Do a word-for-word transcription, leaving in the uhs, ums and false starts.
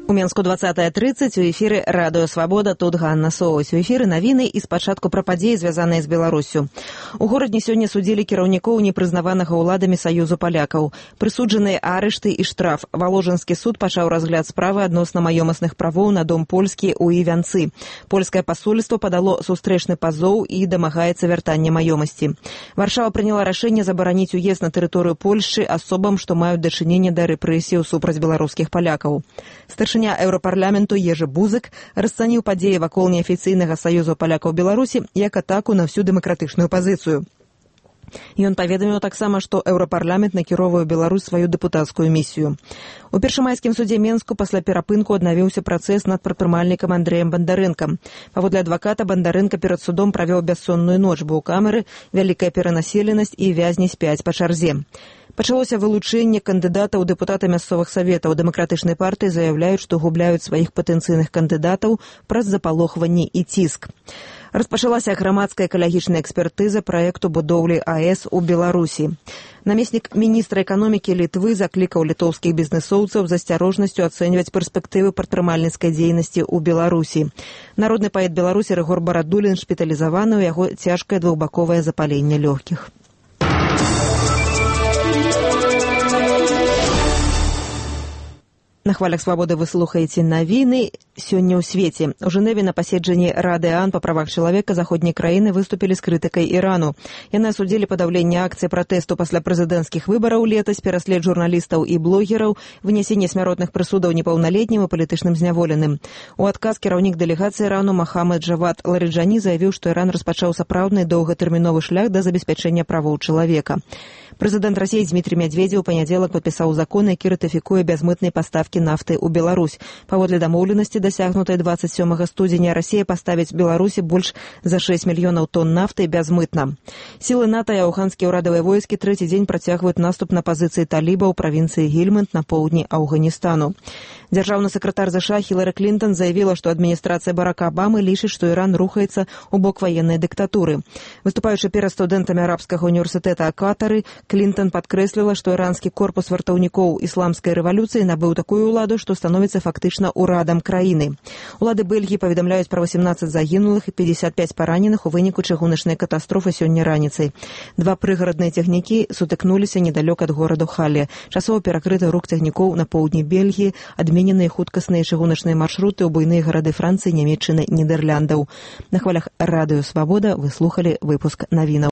У Менску двадцатая тридцать, у эфіры Радыё Свабода, тут Ганна Соўсь. У эфіры навіны і спачатку пра падзеі, звязаныя з Беларуссю. У горадні сёння судзілі кіраўнікоў непрызнаванага ўладамі Саюзу палякаў. Прысуджаныя арышты і штраф. Валожанскі суд пачаў разгляд справы адносна маёмасных правоў на дом польскі ў Івянцы. Польскае пасольства падало сустрэчны пазоў і дамагаецца вяртання маёмасці. Варшава прыняла рашэнне забараніць уезд на тэрыторыю Польшчы асобам, што маюць дачыненне да рэпрэсіяў супраць беларускіх палякаў. Старшыня Еўрапарламенту Ежы Бузык расцаніў падзеі вакол неафіцыйнага саюзу палякаў Беларусі як атаку на всю дэмакратычную пазіцыю. Ён паведаміў таксама, што Еўрапарламент накіроўвае ў Беларусь сваю дэпутацкую місію. У першамайскім судзе Менску пасля перапынку аднавіўся працэс над прадпрымальнікам Андрэем Бандарэнкам. Паводле адваката, Бандарэнка перад судом правёў бяссонную ноч, бо ў камеры вялікая перанаселенасць і вязні спяць па чарзе. Пачалося вылучэнне кандыдатаў у дэпутаты мясцовых саветаў. Дэмакратычнай партыі заяўляюць, што губляюць сваіх патэнцыйных кандыдатаў праз запалохванні і ціск. Распачалася грамадская экалагічная экспертыза праекту будоўлі АЭС у Беларусі. Намеснік міністра эканомікі Літвы заклікаў літоўскіх бізнэсоўцаў з асцярожнасцю ацэньваць перспектывы прадпрымальніцкай дзейнасці ў Беларусі. Народны паэт Беларусі Рыгор Барадулін шпіталізаваны, у яго цяжкае двухбаковае запаленне лёгкіх. На хвалях Свабоды вы слухаеце навіны сёння ў свеце. У Жэневе на паседжанні Рады ААН па правах чалавека заходняй краіны выступілі з крытыкай Ірану. Яны асудзілі падаўленне акцыі пратэсту пасля прэзідэнцкіх выбараў летась, пераслед журналістаў і блогераў, вынясенне смяротных прысудаў непаўналетнім і палітычным зняволеным. У адказ кіраўнік дэлегацыі Ірану Махамад Джавад Ларыджані заявіў, што Іран распачаў сапраўдны доўгатэрміновы шлях да забеспячэння правоў чалавека. Прэзідэнт Расіі Дмітрий Медведзеў у панядзелак падпісаў закон, які ратыфікуе бязмытнай паставкі нафты ў Беларусь. Паводле дамоўленасці, дасягнутай двадцать сёмага студзеня, Расія паставіць Беларусі больш за шэсць мільёнаў тонн нафты бязмытна. Сілы НАТО і афганскія ўрадавыя войскі трэці дзень працягваюць наступ на пазіцыі таліба ў правінцыі Гельманд на поўдні Афганістану. Дзяржаўны сакратар ЗША Хілары Клінтон заявіла, што адміністрацыя Барака Абамы лічыць, што Іран рухаецца ў бок ваеннай дыктатуры. Выступаючы перад студэнтамі арабскага універсітэта Катары, Клінтон падкрэсліла, што іранскі корпус вартаўнікоў ісламскай рэвалюцыі набыў такую ўладу, што становіцца фактычна ўрадам краіны. Улады Бельгіі паведамляюць пра восемнадцаць загінулых і пятьдесят пять параненых у выніку чыгуначнай катастрофы сёння раніцай. Два прыгарадныя цягнікі сутыкнуліся недалёк ад гораду Хале. Часова перакрыты рух цягнікоў на поўдні Бельгіі, адмененыя хуткасныя чыгуначныя маршруты ў буйныя гарады Францыі, Нямецчыны, Нідэрляндаў. На хвалях Радыё Свабода вы слухалі выпуск навінаў.